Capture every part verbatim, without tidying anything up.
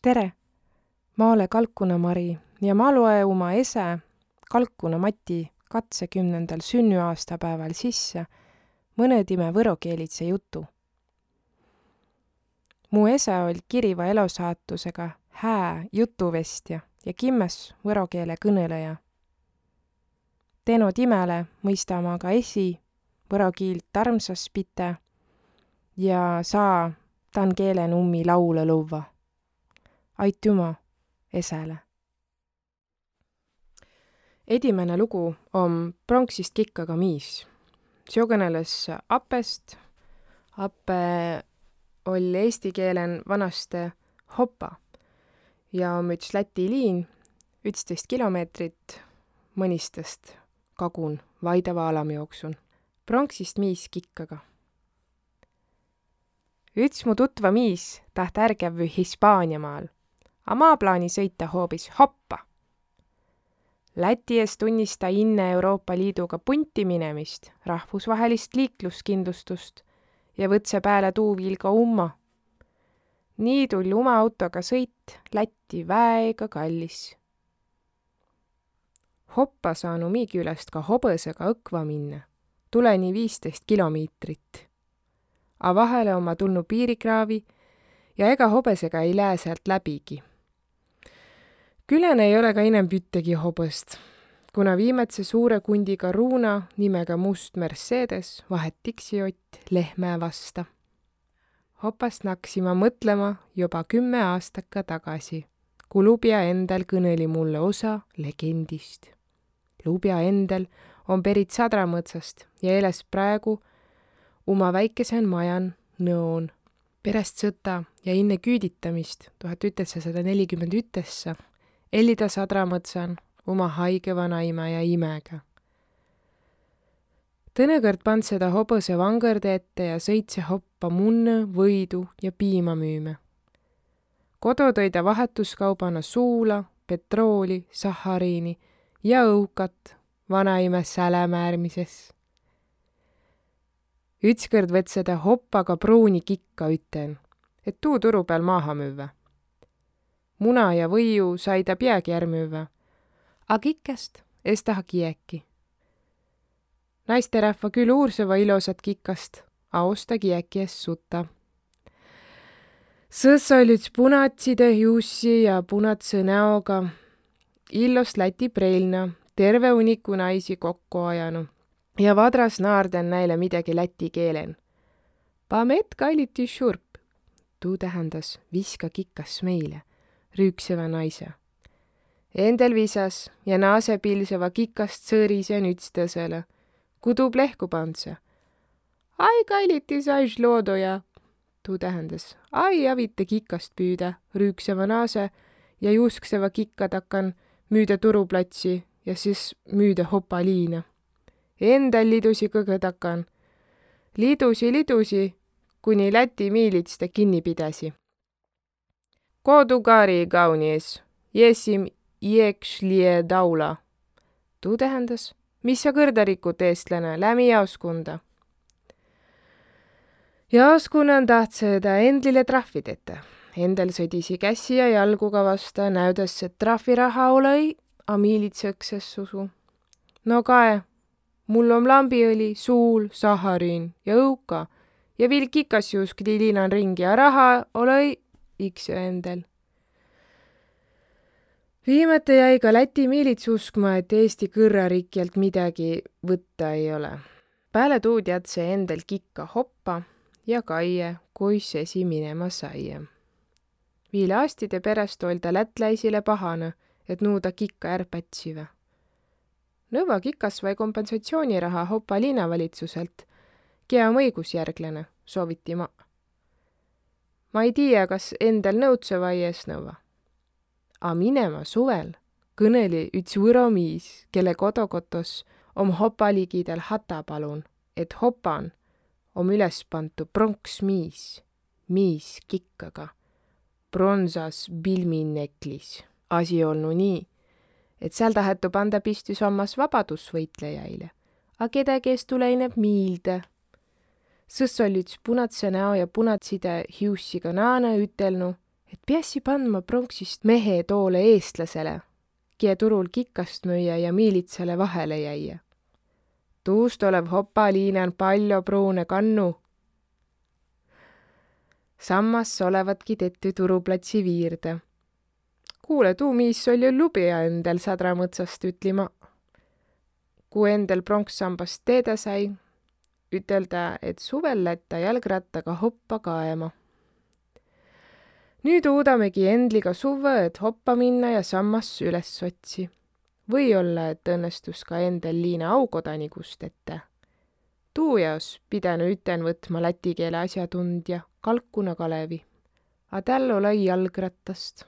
Tere! Ma ole Kalkuna Mari ja ma loe uma esä, Kalkuna Mati, katsekümnendal sünnüaastapääval sisse mõnõ timä võrokeelidse jutu. Mu esä oll' kiriva elosaatusega hää jutuvestja ja kimmäs võro keele kõnõlõja. Teno timäle mõista ma ka esi võro kiilt armsas pitä ja saa tan keelen ummi laulõ luvva. Aitüma esäle. Edimäne lugu om pronksist kikkaga miis. Seo kõnelõs Apest. Ape oll' eesti keelen vanasti Hopa ja om üts Läti liin, ütstõist kilomeetrit Mõnistast kagun vaidava alamjooksun. Pronksist miis kikkaga. Üts mu tutva miis taht ärgävvü Hispaaniamaal, a ma plaani sõita hoobis Hoppa. Läti es tunnista inne Euroopa Liiduga punti minemist rahvusvahelist liikluskindlustust ja võtse pääle tuu viil ka umma. Nii tull' uma autoga sõit Lätti väega kallis. Hoppa saanu mi küläst ka hobõsega õkva minnä. Tulõ nii viistöist kilomiitrit. A vahele omma tulnu piirikraavi ja ega hobõsega ei lää säält läbigi. Külän ei ole ka inämb üttegi hobõst, kuna viimädse suure kundiga ruuna nimega Must Mercedes vahet tiksiott lehmä vasta. Hopast naksima mõtlema joba kümme aastakka tagasi, ku lubja endäl kõnõli mullõ osa legendist. Lubja endäl om perit Sadramõtsast ja eläs praegu uma väikesen majan Nõon. Peräst sõta ja inne küüditamist tuhat üteksasada nelikümmend ütessa elli ta Sadramõtsan uma haige vanaimä ja imäga. Tõnõ kõrd pandsõ ta hobõse vangõrde ette ja sõitse Hoppa munnõ, võidu ja piima müümä. Kodo tõi ta vahetuskaubana suula, petrooli, sahariini ja õukat vanaimä sälä määrmises. Ütskõrd võtsõ ta Hoppaga pruuni kikka üten, et tuu turu pääl maaha müvvä. Muna ja võiu sai ta piägi är müvvä, a kikkast es taha kiäki. Naisterahva kül uursõva ilosat kikast, a osta kiäki es suta. Sõs oll' üts punatside hiussi ja punatsõ näoga illos Läti preilna, terve uniku naisi kokko ajanu ja vadras naarden näile midägi läti keelen. Pamet kaliti šurp, tuu tähendäs viska kikas meile, rüüksevä naise. Endäl visas ja naase pilseva kikast sõrisen ütstõsele, ku tuu plehku pandsõ. Ai kaliti saž loodoja, tuu tähendäs: ai avita kikast püüdä, rüükseva naase ja juskseva kikka takan müüdä turuplatsi ja sis müüdä Hopa liina. Endäl lidusi kõgõ takan. Lidusi, lidusi, kuni Läti miilits tä kinni pidäsi. Kodu kari gaunis, jessim iekšlie daula. Tuu tähendäs: mis sa kõrda rikut, eestläne, läämi jaoskunda. Jaoskunnan tahtsõ tä endlile trahvi tetä. Endäl sõdisi kässi ja jalguga vasta, näüdäs, et trahviraha olõ-i, a miilits õks es usu. No kae, mul om lambiõli, suul, sahariin ja õuka ja viil kikas juuskli liinan ringi, a raha olõ-i iks endäl. Viimäte jäi ka Läti miilits uskma, et Eesti kõrrarikjalt midägi võtta ei ole. Pääle tuu teadsõ endäl kikka Hoppa ja kaie, kuis esi minema saie. Viil aastide peräst oll' tä lätläisile pahanõ, et nuu ta kikka är pätsivä. Nõvva kikas vai kompensatsiooniraha Hoppa liinavalitsuselt, kiä om õigusjärgläne, sooviti ma. Ma ei tiiä, kas endäl nõudsõ vai es nõvva. A minema suvel kõnõli üts võro miis, kelle kodokotos om Hopa ligidal Hatapalun, et Hopan om üles pantu pronksmiis, miis kikkaga, bronsas bilmineklis. Asi olnu nii, et sääl tahetu panda pistüs ommas vabadusvõitlejaile, a kedägi es tulõ inämb miilde. Sõs oll' üts punadsõ näo ja punadside hiussiga naanõ ütelnu, et piässi pandma pronksist mehe toolõ eestlasele, kiä turul kikast müie ja miilitsale vahele jäie. Tuust olõ Hopa liinan paljo pruunõ kannu. Sammas olevadki tettü turuplatsi viirde. Kuule, tuu miis oll' jo lubja endäl Sadramõtsast ütlima. Ku endäl pronkssambast teedä sai, ütel' tä, et suvel lätt tä jalgrattaga Hoppa kaema. Nüüt uudamegi endliga suvvõ, et Hoppa minna ja sammas üles otsi. Või-olla, et õnnestus ka endäl liina aukodanigust tetä. Tuu jaos pidänü üten võtma läti keele asjatundja Kalkuna Kalevi. A täl olõ-i jalgrattast.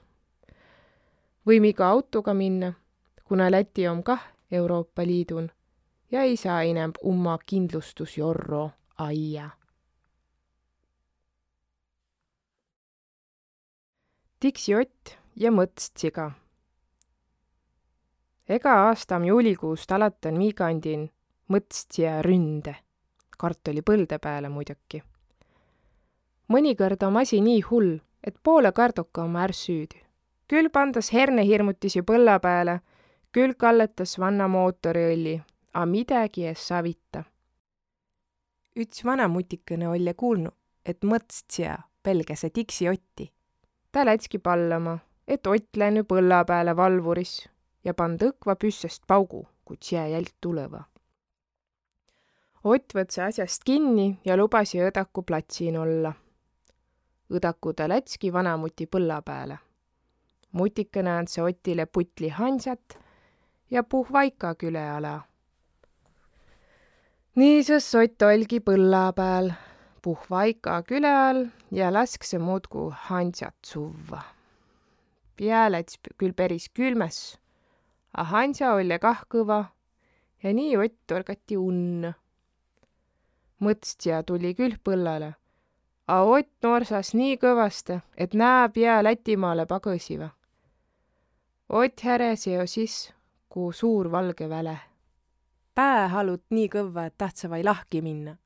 Võimiga autoga minnä, kuna Läti om kah Euroopa Liidun ja ei saa inämb umma kindlustusjorro aia. Tiksi Ott ja Mõtstsiga. Ega aasta om juulikuust alatan mii kandin Mõtstsia ründe, kartoli põldõ pääle muiduki. Mõnikõrd om asi nii hull, et poolõ kardoka om är süüdü. Küll pandas hernehirmutisi põlla pääle, küll kalletas vanna mootoriõlli, a midägi es avita. Üts vana mutikõnõ olle kuulnu, et Mõtstsia pelgäse Tiksi Otti. Tä lätsigi pallama, et Ott lännü põlla pääle valvuris ja pand õkva püssäst paugu, ku tsia jälq tulõva. Ott võtsõ asjast kinni ja lubasi õdaku platsin olla. Õdaku tä lätsigi vanamuti põlla pääle. Mutikõnõ andsõ Ottile putli hansat ja puhv aika külä ala. Nii sõs Ott oll'gi põlla pääl, puhv aika külä all ja lasksõ muudku hansat suvva. Pia läts küll peris külmäs, a hansa olle kah kõva ja nii Ott torgati unnõ. Mõtstsia tulli küll põllale, a Ott norsas nii kõvastõ, et nää pia Lätimaale pagõsiva. Ott heräsi jo sis, ku suur valgõ väle. Pää halut nii kõvva, et tahtsõ vai lahki minnä.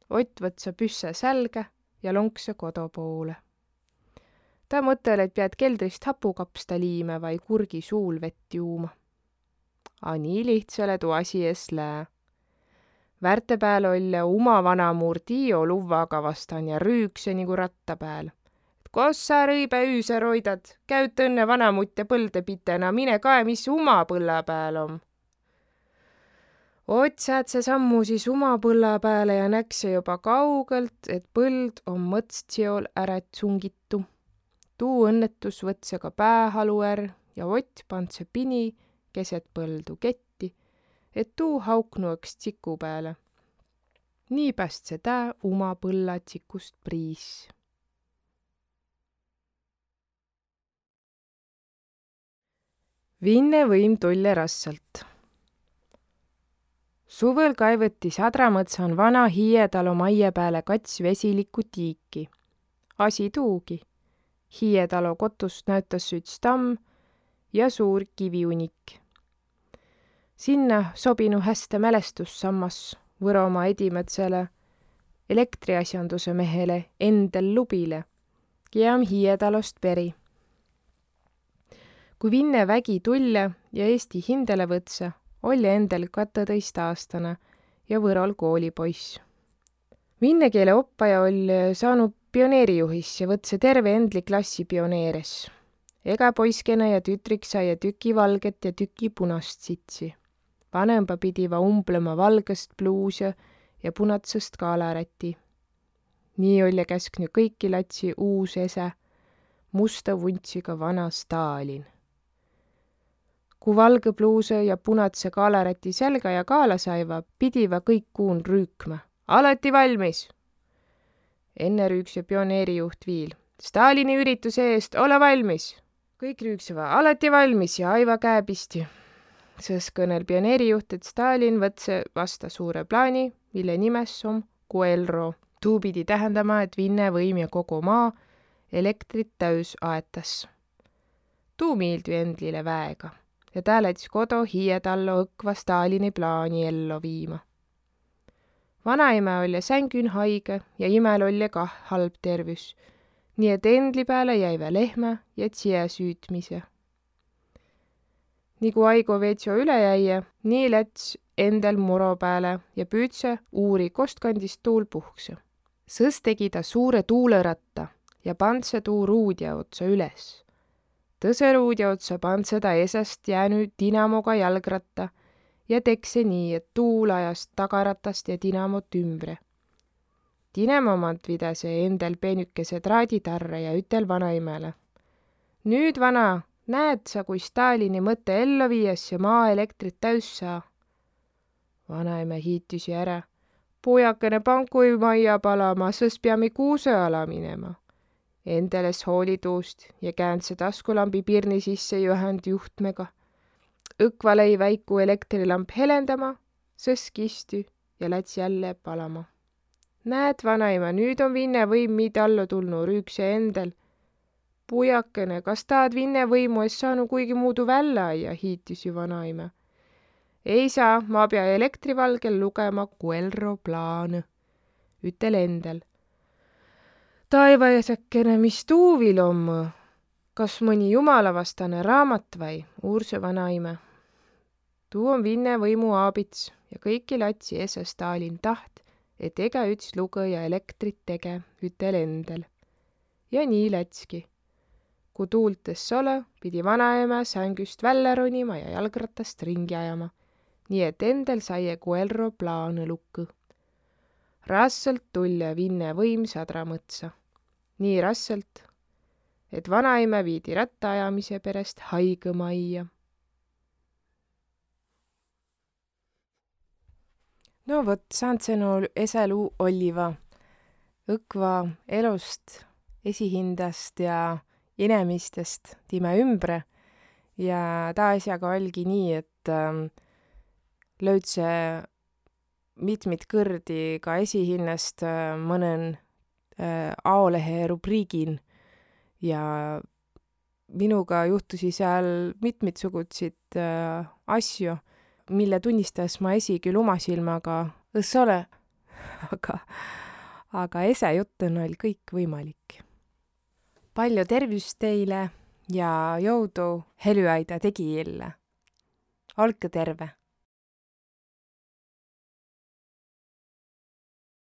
Ott võtsõ püssä sälgä ja lonksõ kodo poolõ. Tä mõttel, et piät keldrist hapukapsta liimä vai kurgi suul vett juuma. A nii lihtsäle tuu asi es lää. Värte pääl olle uma vanamuur Tiio luvvaga vastan ja rüüksõ nigu ratta pääl: „Kos sa, rõibä üüse, roidat? Käüt õnnõ vanamutte põldõ pite, na mine kae, mis uma põlla pääl om.“ Ott säädse sammu sis uma põlla pääle ja näksõ joba kaugõlt, et põld om Mõtsttsiol ärä tsungitu. Tuu õnnetus võtsõ ka päähalu är ja Ott pandsõ pini keset põldu ketti, et tuu hauknu õks tsiku pääle. Nii pästsõ tä uma põlla tsikust priis. Vinne võim tulle rassalt. Suvõl kaivõti Sadramõtsan vana Hiietalo maie pääle kats vesilikku tiiki. Asi tuugi. Hiietalo kotust näütas üts tamm ja suur kiviunik. Sinnä sobinu häste mälestussammas Võromaa edimädsele elektriasjanduse mehele Endel Lubile, kiä om Hiietalost peri. Ku Vinne vägi tulle ja Eesti hindäle võtsõ, oll' Endel katõtõistaastanõ ja Võrol koolipoiss. Vinne keele oppaja oll' saanu pioneerijuhis ja võtsõ terve Endli klassi pioneeres. Ega poiskene ja tütrik saie tüki valget ja tüki punast sitsi. Vanõmba pidiva umblõma valgõst bluusõ ja punatsõst kaalaräti. Nii olle käsknü kõiki latsi uus esä, mustõ vuntsiga vana Stalin. Ku valgõ bluusõ ja punatsõ kaalaräti sälgä ja kaala saiva, pidiva kõik kuun rüükma: „Alati valmis!“ Enne rüüksõ pioneerijuht viil: „Stalini ürituse eest ole valmis!“ Kõik rüükseva: „Alati valmis!“ ja aiva käe pisti. Sõs kõnel pioneerijuht, et Stalin võtsõ vasta suure plaani, mille nimes om Guelro. Tuu pidi tähendama, et Vinne võim ja kogo maa elektrit täüs aetas. Tuu miildü Endlile väega ja tä läts kodo Hiietallõ õkva Stalini plaani ello viima. Vanaimä olle sängün haigõ ja imäl olle kah halb tervüs. Nii et endli pääle jäivä lehmä ja tsiä süütmise. Nigu aigo veetsio üle jäije, nii läts endäl moro pääle ja püüdse uuri, kostkandis tuul puhksõ. Sõs tegi ta suure tuulõratta ja pandsõ tuu ruudja otsa üles. Tõsõ ruudja otsa pandsõ ta esäst jäänü dinamoga jalgratta ja tekse nii, et tuul ajas tagaratast ja dinamot ümbre. Dinamo mant vidäse endäl peenükese traaditarre ja ütel vanaimäle: Nüüt, vana, näet sa, kui Stalini mõtte ello viies ja maa elektrit täüs saa? Vanaimä hiitüsi ärä: Pujakene, pan kui maia palama, sõs piami kuusõ ala minema. Endäl es hooli tuust ja käändse taskulambi pirni sisse ja ühänd juhtmega. Õkva lei väiku elektrilamp helendama, sõs kistü ja läts jälle palama. Näet, vanaimä, nüüt om Vinne võim miid allo tulnu, rüükse endäl. Pujakene, kas taad Vinne võimu es saanu kuigi muudu vällä aia, hiitüsi vanaimä. Ei saa, ma pea elektrivalgel lugema Guerro plaanõ, ütel endäl. Taivaisäkene, mis tuu vil om? Kas mõni jumalavastane raamat vai? Uursõ vanaimä. Tuu om Vinne võimu aabits ja kõiki latsi esä Stalin taht, et egäüts lugõ ja elektrit tege, ütel endäl. Ja nii lätski. Ku tuult es olõ, pidi vanaimä sängüst vällä ronima ja jalgratast ringi ajama, nii et endäl saie Guerro plaanõ lukõ. Rassõlt tullõ Vinne võim sadra mõtsa. Nii rassõlt, et vanaimä viidi rattaajamise peräst haigõ maia. No vot, säändse no esä luu olliva. Õkva elust, esihindäst ja inemistest timä ümbre. Ja taa asjaga oll'gi nii, et, ähm, löüdse mitmit kõrdi ka esihinnäst, äh, mõnõn, äh, aolehe rubriigin ja minuga juhtusi sääl mitmitsugutsit, äh, asju, mille tunnistas ma esi küll uma silmaga õs ole, aga, aga esä juttõn oll' kõik võimalik. Pall'o tervüst teile ja joudu Helüaida tegijille. Olkõ terve!